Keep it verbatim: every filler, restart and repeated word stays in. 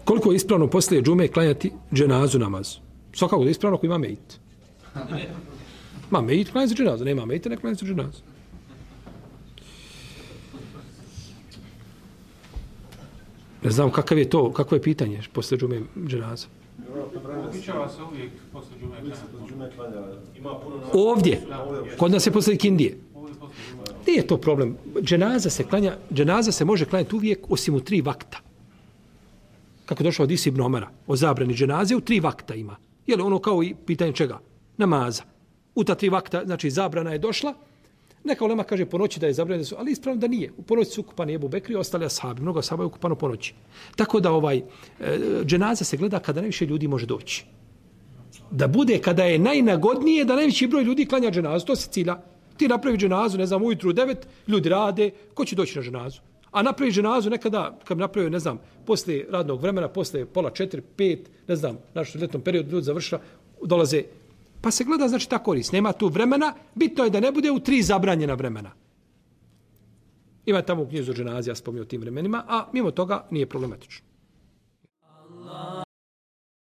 Koliko je ispravno poslije džume klanjati dženazu namaz? Svakako da je ispravno ako ima mejit. Ma mejit klanja se dženazu, nema mejita, ne klanja se dženazu. Ne znam kakav je to, kakvo je pitanje poslije džume dženaza. Uključava se uvijek poslije džume klanja. Ovdje, kod nas je poslije kindije. Nije to problem. Dženaza se klanja, dženaza se može klanjati uvijek osim u tri vakta. Kako je došao od Isi ibn Omara, o zabrani dženaze, u tri vakta ima. Je li ono kao i pitanje čega? Namaza. U ta tri vakta, znači zabrana je došla, neka ulema kaže po noći da je zabranjeno, ali ispravno da nije. U ponoći su ukupani Ebu Bekri i ostali ashabi. Mnogo ashaba je ukupano po noći. Tako da ovaj, dženaza se gleda kada najviše ljudi može doći. Da bude kada je najnagodnije da najveći broj ljudi klanja dženazu. To se cilja. Ti napravi dženazu, ne znam, ujutru u devet, ljudi rade, ko će doći na dženazu? A napravi dženazu nekada, kad napravi, ne znam, posle radnog vremena, posle pola četiri, pet, ne znam, našo ljetnom periodu ljudi završila, dolaze. Pa se gleda, znači, ta korist. Nema tu vremena, bitno je da ne bude u tri zabranjena vremena. Ima tamo u knjizu dženazi, ja spomnio o tim vremenima, a mimo toga nije problematično.